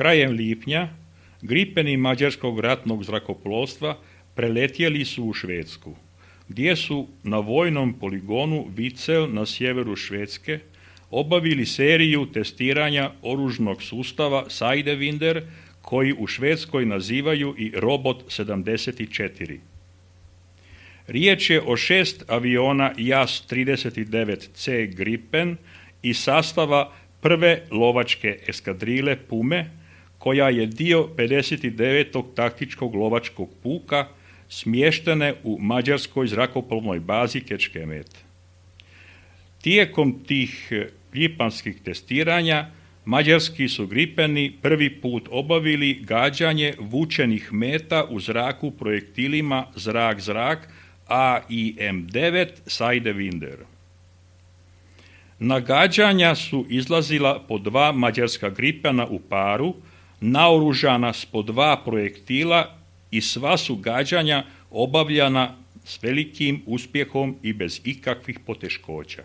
Krajem lipnja Gripeni mađarskog ratnog zrakoplovstva preletjeli su u Švedsku, gdje su na vojnom poligonu Vidsel na sjeveru Švedske obavili seriju testiranja oružnog sustava Sidewinder, koji u Švedskoj nazivaju i Robot 74. Riječ je o 6 aviona JAS-39C Gripen iz sastava prve lovačke eskadrile Pume, koja je dio 59. taktičkog lovačkog puka smještene u mađarskoj zrakoplovnoj bazi Kecskemét. Tijekom tih lipanskih testiranja mađarski su Gripeni prvi put obavili gađanje vučenih meta u zraku projektilima zrak-zrak AIM-9 Sidewinder. Na gađanja su izlazila po 2 mađarska Gripena u paru, naoružana s po 2 projektila, i sva su gađanja obavljana s velikim uspjehom i bez ikakvih poteškoća.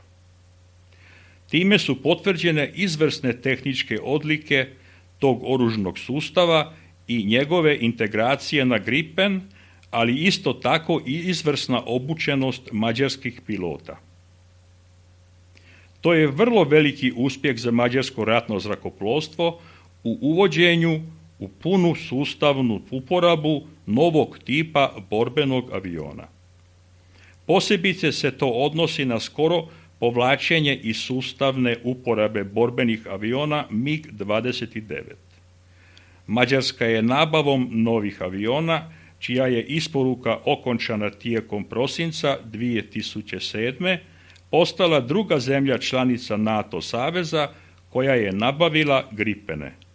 Time su potvrđene izvrsne tehničke odlike tog oružnog sustava i njegove integracije na Gripen, ali isto tako i izvrsna obučenost mađarskih pilota. To je vrlo veliki uspjeh za mađarsko ratno zrakoplovstvo u uvođenju u punu sustavnu uporabu novog tipa borbenog aviona. Posebice se to odnosi na skoro povlačenje iz sustavne uporabe borbenih aviona MiG-29. Mađarska je nabavom novih aviona, čija je isporuka okončana tijekom prosinca 2007. postala druga zemlja članica NATO saveza koja je nabavila Gripene.